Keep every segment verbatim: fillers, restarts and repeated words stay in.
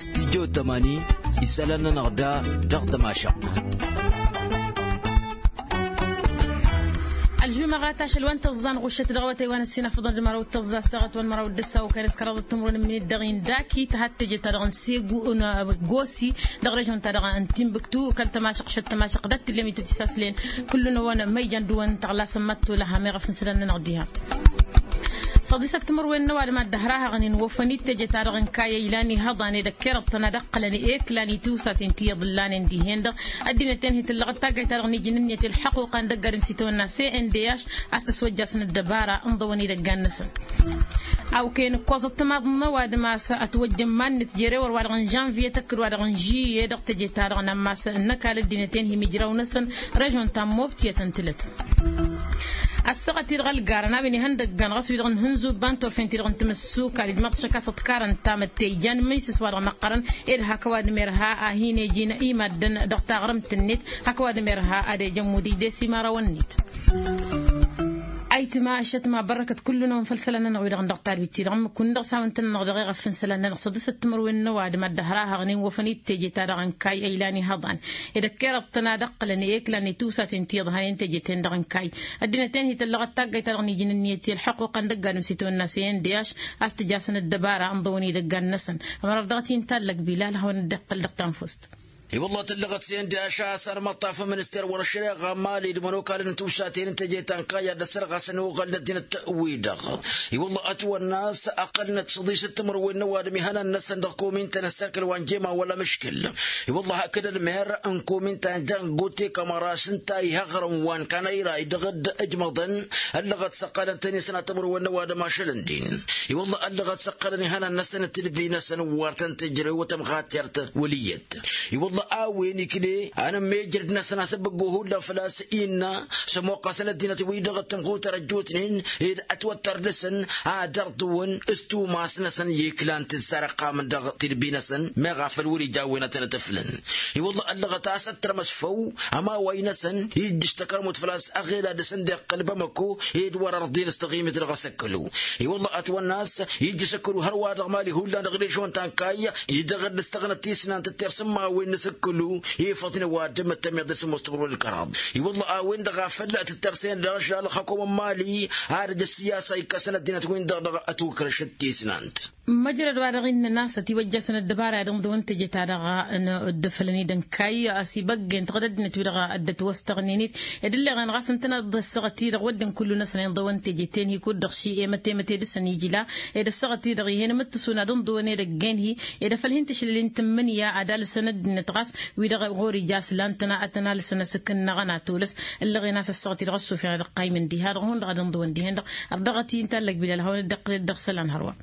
Stijjo tămani isălan-nănăɣ da dăɣ-tămašăɣt. Ălžumăɣat ašăl wa n-tăẓẓa n-ɣuššăt dăɣ-awătay wa n-ăssinafăḍăn d-măraw d-tăẓẓa s-taɣăt wa n-măraw d-ăssaw kănes kăraḍăt timrun n-minit dăɣ-indaki tăhat teje-ta-dăɣ n-segu n-gosi dăɣ-režon-ta-dăɣ n-timbuktu kăl-tămašăɣt šăt tămašăɣt dat-tillem ităt isaslen. Kullu-năwăn ma ijan dăɣ-wăn tăɣlasăn mad-tolăha meɣ afǝnsǝlăn-nănăɣ diha. Săḍisăt timǝrwen n-ăwadǝm ad-dd-ăhrahăɣnen wofăn-dd teje-ta-dăɣ n-kayya ilan ihăḍan edăkkerăḍ-tăn ad-ăqqălăn eklan i-tiwsaten ti iḍǝllanen dihen-dăɣ. Ăddinăt-en hi-tǝllăɣăt taggayt-ta-dăɣ n-iji n-ǝnniyăt i-ălḥăquqa n-dăgg-adǝm s-itawănna cndh a-s tăswăjjasnăt dăbara n-iḍăwăn idăggan-năsăn. Awkăyăn ǝkkoẓăt timaḍ n-ăwadǝm a-s ătwăjjăn iman-net jere wăr-wa-dăɣ n-žănviye tăkkăd wa-dăɣ n-žuye dăɣ-teje-ta-dăɣ n-ammas n-ăkall ăddinăt-en hi-imǝjraw-năsăn. Režon ta n-mobtiyăt ǝntǝlăt ăssaɣăt-i-dăɣ ălgarăn a-wen ihăndăggăn ɣas wi-dăɣ n-hǝnzubba n-turfen-ti-dăɣ n-timǝssu kal ijmaḍ-t šăkk a-s ăḍkarăn tamătte ijan imǝnsǝs wa-dăɣ măqqărăn. Ed hak ăwadǝm irha a hin-ejin i-maddǝn dăɣ-taɣrǝmt-net hak ăwadǝm irha ad-ejăn mudǝy d-esimarawăn-net. Ayǝtma ăššătma bărrăkăt kullu-năwăn făll-isălan-nănăɣ wi-dăɣ n-dăɣ-tadwit-ti-dăɣ ǝmmǝk-win-dăɣ s-hawăn-tăn-nănăɣ dăɣ-eɣăf n-isălan-nănăɣ săḍisăt timǝrwen n-ăwadǝm ad-dd-ăhrahăɣnen wofăn-dd teje-ta-dăɣ n-kayy a ilan ihăḍan. Ed-ăkkerăḍ-tăn ad-ăqqǝlăn i-eklan i-tiwsaten ti iḍhanen teje-ten-dăɣ n-kayy. Ăddinăt-en hi-tăllăɣăt taggayt-ta-dăɣ n-iji n-ǝnniyăt i-ălḥăquqa n-dăgg-adǝm s-itawănna cndh a-s tǝjasăn ăddăbara ǝnḍăwăn idăggan-năsăn. Ămăra dăɣ-t-i n-tallăg bilal ad-hawăn-dd-iqqǝl dăɣ-tanfust. I-wălla tǝllăɣăt cndh a-s armăṭṭafăn minister wăr-ăššăreɣa mali d-imănokalăn n-tiwsaten n-teje ta n-kayy a dd-ăssărɣasăn i-uɣălăn ăddinăt-wi-dăɣ. I-wălla ătwănna a-s ăqqălnăt săḍisăt timǝrwen n-ăwadǝm ihănan-năsăn dăɣ-komin ta n-ăssărkăl wa n-jema wăla mǝškǝl. I-wălla hakd ălmer n-komin ta n-jangote kămăras ǝnta ihăɣrăn wa n-kanăyra-i dăɣ-dd-ǝjmăḍăn. Ăllăɣăt s-ăqqălăn-tăn isănat timǝrwen n-ăwadǝm ašăl ǝndin. I-wălla ăllăɣăt s-ăqqălăn ihănan-năsăn d-tidbi-năsăn wăr tăn-tǝjrăw tămɣatert wăl' iyyăt. I-wălla a-wen ikne anămmejrăd-năsăn asăbbăggo hullan făl-a-s innă s-ămoqqăsăn ăddinăt-wi-dăɣ d-tămxutăr ăjjootnen ed ătwăttăr dăɣ-săn ad-ărḍǝwăn s-tumas-năsăn i-iklan tǝssarăqqamăn dăɣ-tidbi-năsăn meɣ a făl wăr-ija a-wen ad-tăn-ătăflăn. I-wălla ăllăɣăt a-s ăttărmăs făw ămaway-năsăn ijjǝš takărmut făl-a-s aɣela dăɣ-săn dd-iqqăl bamăko ed wăr-ărḍen s-taɣimit dăɣ-asăkkălu. I-wălla ătwănna a-s ijjǝš ăkkălu hărwa dăɣ-mali hullan dăɣ-režon ta n-kayy. I-dăɣ-dd-ǝstăɣnăt tisnant d-tirsǝmmawen n-asǝkkǝlu ifăḍnen wa dd-mǝttămeḍ d-sǝmmos timǝrwen d-kăraḍ. I-wălla a-wen-dăɣ a făl tǝttărsăyăn dăɣ-ašăl ălxăkom n-mali ad-ăj ăssiyasa ikkăsăn ăddinăt-win-dăɣ dăɣ-ătwǝkrăšăt tisnant. Măjrăd wa dăɣ-innăn a-s ătiwăjjasăn ăddăbara i-ad-ǝnḍǝwăn teje-ta-dăɣ n-dd-ăfălăn idăn kayy a-s ibăggen tăɣăd ăddinăt-wi-dăɣ dd-ătwăstăɣnen-dd ed ǝlleɣen ɣas ǝntăneḍ d-ăssaɣăt-i-dăɣ wădden kullu-năsăn inḍăwăn teje-ten-hi kud-dăɣ ši i-mătemăte dăɣ-săn ijla ed ăssaɣăt-i-dăɣ ih'-en mǝttǝsun ad-ǝnḍǝwăn edăgg'-en-hi ed afăl hin-tǝšlăl-in tǝmmǝnǝya ad-alǝsăn ăddinăt ɣas wi-dăɣ ɣur-ija a-s lan-tăn a tăn-alǝsăn asǝkǝnnăɣăn atolăs. Ǝllăɣen a-s ăssaɣăt-i-dăɣ ăssufăn ad-ăqqaymăn diha-dăɣ hundăɣ ad-ǝnḍǝwăn dihen-dăɣ. Ărdăɣăt-i n-tallăg bilal hawăn-dd-iqqǝl-dd dăɣ-isălan hărwa.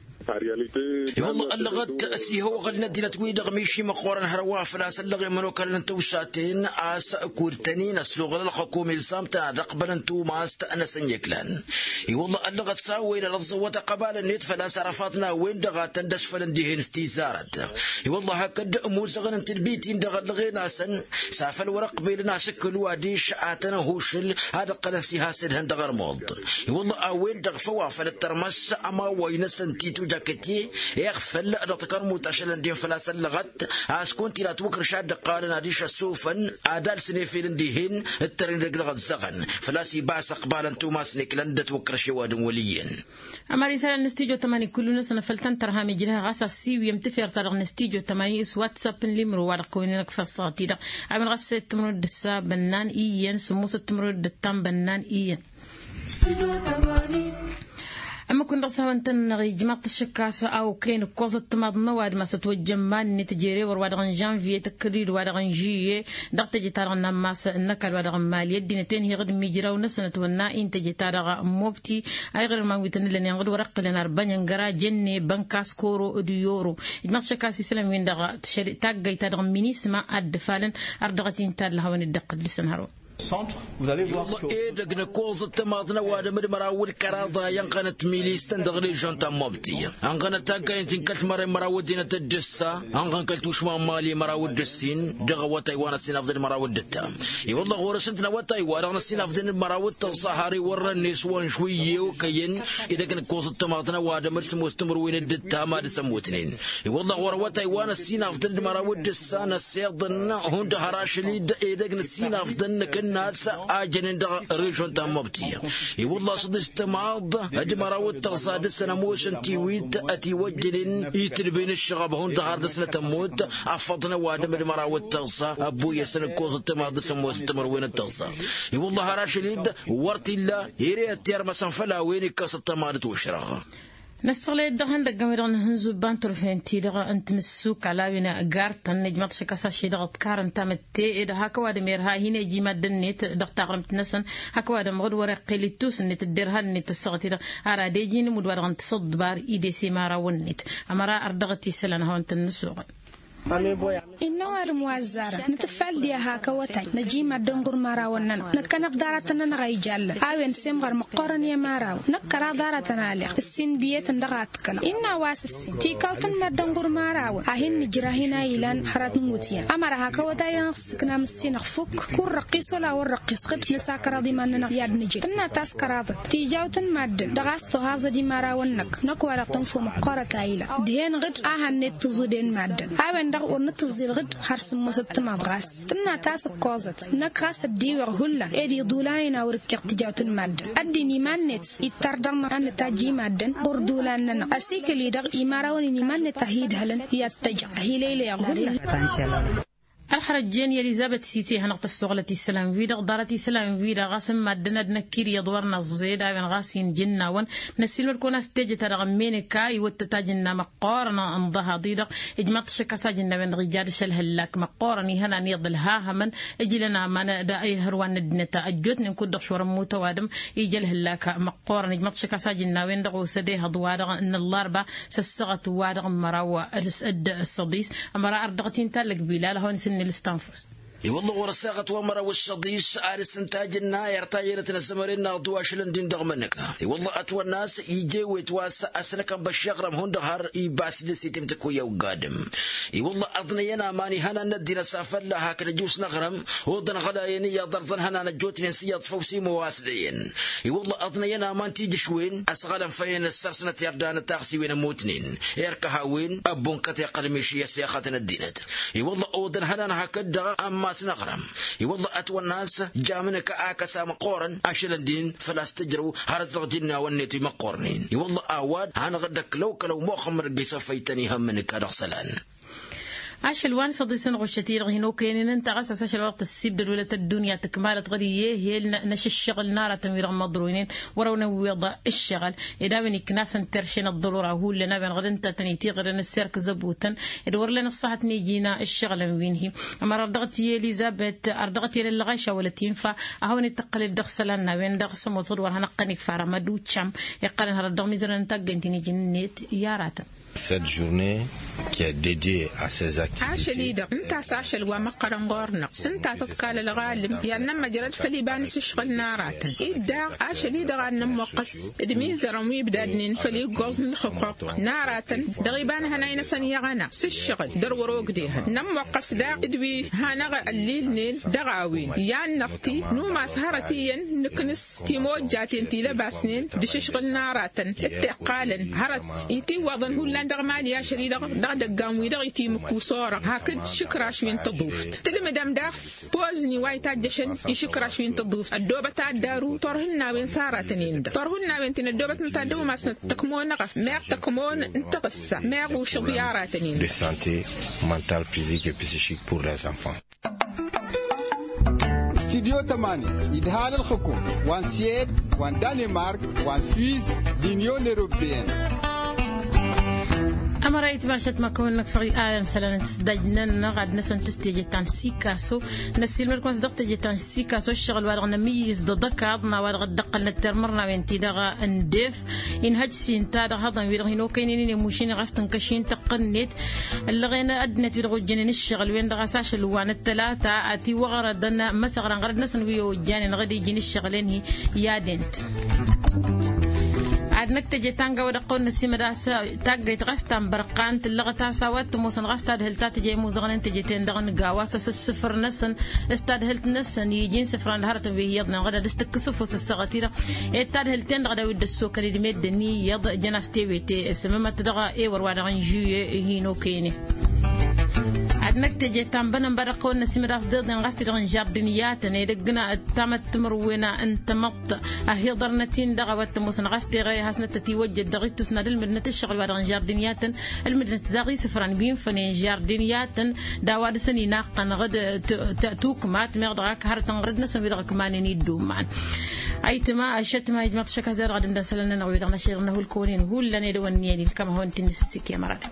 I-wălla ăllăɣăt s-ihăwăɣăl n-ăddinăt-wi-dăɣ miši măqqoorăn hărwa făl-a-s ăllăɣen imănokalăn n-tiwsaten a-s kud-tăn-in-ăssoɣăl ălxăkom ilsam-tăn ad-ăqbălăn tumast-năsăn i-iklan. I-wălla ăllăɣăt s-a-wen ad-ăẓẓăwăt ăqbal-net făl-a-s arăfaḍ n-a-wen-dăɣ a tăn-dd-ăsfălăn dihen s-tizarăt. I-wălla hakd imuzăɣăn n-tadbit-in-dăɣ ăllăɣen-asăn s-afăl wăr-ăqbelăn asǝkkǝlu adiš ad-tăn-ăhušǝl ad-ǝqqălăn s-ihasădhăn dăɣ-armuḍ. I-wălla a-wen-dăɣ făw a făl ǝttărmăs ămawăy-năsăn titu jakăte iɣfăl dăɣ-takărmut ašăl ăndin făl-a-s ăllăɣăt a-s kunta-in atwǝkrǝš ad-dd-ǝqqalăn adiš ăssufăn ad-alsăn efel n-dihen ǝttăren dăgg-dăɣ ăzzăɣăn. Făl-a-s ibas ăqbal n-tumas n-eklan dd-ătwǝkrǝš i-ăwadǝm wăl' iyyăn. Ămăra isălan n-stujo tămani kullu-năsăn a făl tăn-tărham ijrăh ɣas ăssiwǝyăm tafert-ta-dăɣ n-stujo tămani s-whatsapp n-limro wa dăɣ-kăwăn-inăkf ăssaɣăt-i-dăɣ. A-wen ɣas săyăt timǝrwen d-ǝssa bănnan iyyăn sǝmmosăt timǝrwen d-ǝttan bănnan iyyăn. Ămmǝk-win-dăɣ s-hawăn-tăn-năɣ ijmaḍ-t ăššăk a-s a okăyăn ǝkkoẓăt timaḍ n-ăwadǝm a-s ătwăjjăn iman-net jere wăr-wa-dăɣ n-žănviye tăkkăd-dd wa-dăɣ n-žuye. Dăɣ-teje-ta-dăɣ n-ammas n-ăkall wa-dăɣ n-mali ăddinăt-en-hi ɣǝd mijraw-năsăn ătwănna-in teje-ta-dăɣ n-mobti. Ayɣăr iman wi tăn-ǝllănen ɣǝd wăr-ăqqǝlăn arbănyăn găra jănne bănka s-koro d-yoro. Ijmaḍ-t ăššăk a-s isălan-win-dăɣ taggăyt-ta-dăɣ n-minisma ad-dd-ǝfalăn. Ărdăɣăt-in tallăhawăn-dd-iqqǝl dăɣ-săn hărwa. Edăgg n-ăkkoẓăt tămaḍt n-ăwadǝm d-măraw d-kăraḍ a inɣănăt milistăn dăɣ-režon ta n-mobti. Ănɣănăt taggayǝn ti n-kăl-mărăn măraw ăddinăt d-ǝssa ănɣăn kăl-tušma n-mali măraw d-ǝssin dăɣ-awătay wa n-ăssinafḍăn d-măraw d-ǝttam. I-wălla ɣur-s ǝnta n-awătay-wa-dăɣ n-ăssinafḍăn d-măraw d-tăẓẓa har iwărrăn n-eswan žwǝyye okăyăn edăgg n-ǝkkoẓăt tămaḍt n-ăwadǝm d-sămoos timǝrwen d-ǝttam ad-dăɣ-s ămmutnen. I-wălla ɣur-awătay wa n-ăssinafḍăn d-măraw d-ǝssa n-ăssiḍăn hundăɣ har ašăl-i-dd edăgg n-ăssinafḍăn n-akǝnnas a jănen dăɣ-režon ta n-mobti. I-wălla a-s dd-s tămaḍ d-măraw d-tăẓẓa dăɣ-săn ămoosăn tiwit ătiwăjjănen itǝlben ǝššăɣăb hundăɣ har dăɣ-snăt ămmut. Afăḍ n-ăwadǝm d-măraw d-tăẓẓa ăbbuyyăsăn ǝkkoẓăt tămaḍ dăɣ-săn ămoosăn timǝrwen d-tăẓẓa. I-wălla har ašăl-i-dd wăr t-illa ere ăttermăsăn făll-a-wen ikkăsăt tămaḍ d-tošrăɣ. Năssăɣlăy-dd dăɣ-ihăndăgg a-wen-dăɣ n-ihǝnzubba n-turfen-ti-dăɣ n-timǝssuk ălawin gartăn ijmaḍ-t šik a-s ašăl-i-dăɣ ǝḍkarăn tamǝtte ed hak ăwadǝm irha a hin-eji madden-net dăɣ-taɣrǝmt-năsăn. Hak ăwadǝm ɣǝd wăr-iqqel ittus-net dd-irhan-net ăssaɣăt-i-dăɣ ar ad-eji inǝmud wa dăɣ-nǝtǝsǝḍbar idese imărawăn-net. Ămăra ar dăɣ-t isălan hawăn-tăn-nǝsuɣǝl. Innă ăwadǝm wa ăzzarăn nǝtǝffal diha hak awătay năji madden ɣur-imărawăn-nănăɣ năkkăneḍ d-aratăn-nănăɣ a ijallăn a-wen semɣăr măqqoorăn i-imărawăn năkk kăraḍ aratăn aleɣ ǝssin biyetăn dăɣ-a ǝkkălăɣ innă a-wa s-ǝssin tikawt n-madden ɣur-imărawăn a hin-nǝjrăh-in a ilan hărăt n-iwǝtyan ămăra hak awătay-nănăɣ s-ǝknam ǝssin ăxfuk. Kud răqqis wăla wăr răqqis ɣǝd nǝsa kăraḍ iman-nănăɣ i-ad-nǝjrǝy tǝnna ta s-kăraḍăt tijawt n-madden dăɣ-a-s tohaẓăd imărawăn-năk. Năkk-wa-dăɣ tǝnfo măqqoorăt a ilan dihen ɣǝd a hannăy t-tǝẓuden madden a-wen-dăɣ wăr nǝtǝẓẓil ɣǝd har sǝmmosăt timaḍ ɣas tǝnna ta s-ǝkkoẓăt. Năkk ɣas ăddiweɣ hullan ed iḍulanen a wăr-ǝkkeɣ tijawt n-madden ăddin iman-net ittar dăɣ-năɣ a nǝtajj i-madden ɣur-iḍulan-nănăɣ ăsikǝl-i-dăɣ imărawăn-in iman-net a hi-idhălăn i-ad-t-ăjăɣ a hi-lăylăyăɣ hullan. Ălxărăt jen i-elizăbet sise hanăɣ-tăssoɣlăt isălan-wi-dăɣ ḍarăt isălan-wi-dăɣ ɣas n-maddǝn ad-năkk-dd iyyăḍ wăr năẓẓed a-wen ɣas injǝnnawăn. Năssiilmăd-kăwăn a-s tejăt-a-dăɣ ămmenǝka iwǝttăt ajǝnna măqqoorăn n-ḍăhaḍ-i-dăɣ. Ijmaḍ-t šăkk a-s ajǝnna a-wen-dăɣ ija dăɣ-s ălhăllak măqqoorăn ihănan iyyăḍ ǝlhahamăn. Ǝjlăn aman d-ihărwa n-ăddinăt ăjjootnen kud-dăɣ šorăn mutăwadǝm ija ălhăllak măqqoorăn ijmaḍ-t šăkk a-s ajǝnna a-wen-dăɣ osăd ehăḍ-wa-dăɣ n-ăllarba s-ăssaɣăt-wa-dăɣ n-măraw d-săḍis. Ămăra ar dăɣ-t-intallăg bilal a hawăn-isǝnnǝl s-tanfust. I-wălla ɣur-ăssaɣăt wa n-măraw d-săḍis ad-dăɣ-s ǝnta ajǝnna irta iyyănăt n-ăzzămăren n-aḍu ašălăn-din dăɣ-imǝnnǝka. I-wălla ătwănna a-s ije ewet wa s-ăsnăkăn băššeɣrăm hundăɣ har ibas d-esetem tǝkuyya ogga adǝm. I-wălla ăḍnăyăn aman ihănan n-ăddinăt s-afălla hakd ăjus n-aɣrăm oḍăn ɣălayăn iyyăḍ ărẓăn ihănan ăjjootnen s-iyyăḍ făw s-imoos d-eyyăn. I-wălla ăḍnăyăn aman tijǝšwen ăsɣălăn făll-en ǝssărsnăt irdan d-taɣsiwen ămmutnen. Irkăh a-wen ăbbunkăt iqqăl miši i-ăssexăt n-ăddinăt. I-wălla oḍăn ihănan hakd-dăɣ ammas n-aɣrăm. I-wălla ătwănna a-s jamǝnǝka akăs a măqqoorăn ašălăn-din făl-a-s tǝjrăw hărăt dăɣ-jǝnnawăn-net imăqqoornen. I-wălla a-wa d-hanăɣ-dd-ăklăw-kălăw muxămmăd ăgg-isăfăytăn ihămmǝnǝka dăɣ-isălan. Ašăl wa n-săḍis n-ɣuššăt-i-dăɣ hin-okăyăn-in ǝnta ɣas a-s ašăl wa dăɣ-tăssibdăd wăla tăddunya tǝkmalăt ɣǝd iyyăh i-ălnăš ǝššăɣǝl n-aratăn-wi-dăɣ măḍroynen. Wăr-awăn-ăwwiḍ ǝššăɣǝl ed a-wen ikna-săn terše n-ăḍḍălora hullan a-wen ɣǝd ǝnta a tăn-itiɣrǝn ăssirk zăbutăn ed wăr len ăṣṣahăt n-iji n-ǝššăɣǝlăn wi n-hi-ămăra ar dăɣ-t i-elizăbet ar dăɣ-t i-elăllăɣ ašawăl ătinfa. A hawăn-itǝqqălăd dăɣ-isălan n-a-wen-dăɣ s-ămoos ɣǝd wăr hanăɣ-tăn-ikfa rămăd uccăm iqqălăn hărăt dăɣ-mizărăn n-taggăynt-in iji-net i-aratăn. Cette journée qui est dédiée à ces activités. Ašăl-i-dăɣ ǝnta a-s ašăl wa măqqărăn ɣur-năɣ s-ǝnta a tăḍkal ălɣalǝm i-ad-nămmăjrăd făll-iba n-asǝšɣǝl n-aratăn-i-dd daɣ ašăl-i-dăɣ ad-nămmuqqăs d-imizărăn wi ǝbdadnen făll-iggoẓ n-ǝlxǝqquq n-aratăn dăɣ-iba n-ihănay-năsăn i-aɣăna s-ǝššăɣǝl dăr-wăr-ogdehăn nămmuqqăs daɣ d-wi hanăɣ-ăllilnen dăɣ-a-wen. I-ad-năɣti numas hărăt iyyăn nǝknǝs timojjaten ti lăbasnen d-ašǝšɣǝl n-aratăn d-tiqqalăn hărăt itiwwaḍăn hullan dăɣ-mali ašăl-i-dăɣ dăɣ-idăggan-wi-dăɣ itimǝkku s-orăɣ hakd šǝkraš wi n-tăḍuft tǝlmǝdăm daɣ s-pozni wa itajjăšăn išǝkraš wi n-tăḍuft ăddoobăt ad-daru turhǝnnawen s-aratăn-in-dăɣ turhǝnnawen ti n-ăddoobătnăt ad-dd-ăwmasnăt tăkmo n-eɣăf meɣ tăkmo n-taɣǝssa meɣ ušǝḍ i-aratăn-in-dăɣ. De santé mentale, physique et psychique pour les enfants. Studyo tămani idhal ǝlxǝkum wa n-suwed wa n-danemark wa n-swiss d-inyon europeyăn. Ămăra itmašăt ma kăwăn-năkfăɣ i-ad-ănn isălan n-tǝsdaj-nănăɣ ad-năsăn tǝs teje ta n-sikaso. Năssiilmăd-kăwăn s-dăɣ teje ta n-sikaso ăššăɣǝl-wa-dăɣ nămǝyyǝz d-aḍăkaḍ n-a-wa-dăɣ dd-ăqqălnăt tirmărnawen-ti-dăɣ n-def. Inhăj s-inta dăɣ-hăḍăn-wi-dăɣ hin-okăynen-in i-mušin ɣas tǝnkăš-in tăqqǝnnet. Ăllăɣen ăddinăt-wi-dăɣ ojjănen ǝššăɣǝl-wen-dăɣ a-s ašăl wa n-ăttălata. Tiwăɣrădăn măsăɣran ɣărăd-năsăn wi ojjanen ɣǝd iji n-ǝššăɣǝl-en-hi i-ad-ent. Ad-năkk teje ta n-gawa dăɣ-kăwăn-năsimăd a-s taggăyt ɣas ta n-bărqan tǝllăɣăt a-s a-wa t-ămoosăn ɣas tadhǝlt ta tǝja imuzăɣăn n-teje-ten-dăɣ n-gawa s-asǝssǝfăr-năsăn s-tadhǝlt-năsăn iji n-isǝfran d-hărătăn wi hi-iyyăḍnen ɣǝd ad-dăɣ-s tǝkkǝs ăfuss ăssaɣăt-i-dăɣ. Ed tadhǝlt-ten-dăɣ a daw-dd-ăssokăn idmet d-ănn iyyăḍ jăn-as tewete s-ămămăt dăɣ-ewăr-wa-dăɣ n-žuye hin-okăynen. Ad-năkk teje ta n-bănănba dăɣ-kăwăn-năsimăd a-s deḍen ɣas-t-dăɣ n-žardin i-ad-tăn edăgg n-tamăt timǝrwen n-tamăḍt. Ăhiḍărnăt-in-dăɣ a-wa t-ămoosăn ɣas teɣăre hasnăt tătiwăjjăt dăɣ-ittus n-ad-ǝlmǝdnăt ǝššăɣǝl-wa-dăɣ n-žardin i-ad-tăn. Ǝlmǝdnăt daɣ isǝfran wi n-fănen žardin i-ad-tăn d-a-wa dăɣ-săn inaqqăn ɣǝd tukmat meɣ dăɣ-ak hărătăn ɣărăd-năsăn wi-dăɣ ǝkmanen idduman. Ayǝtma ašăt ma ijmăḍ šăkk a-s dăɣ-dăɣ ad-ǝmdăn isălan-nănăɣ wi-dăɣ n-ašăl n-ahulkăwăn-in hullan edăwănni ănilkăm ad-hawăn-t-in-nǝssǝsǝkǝy ămăra-dăɣ.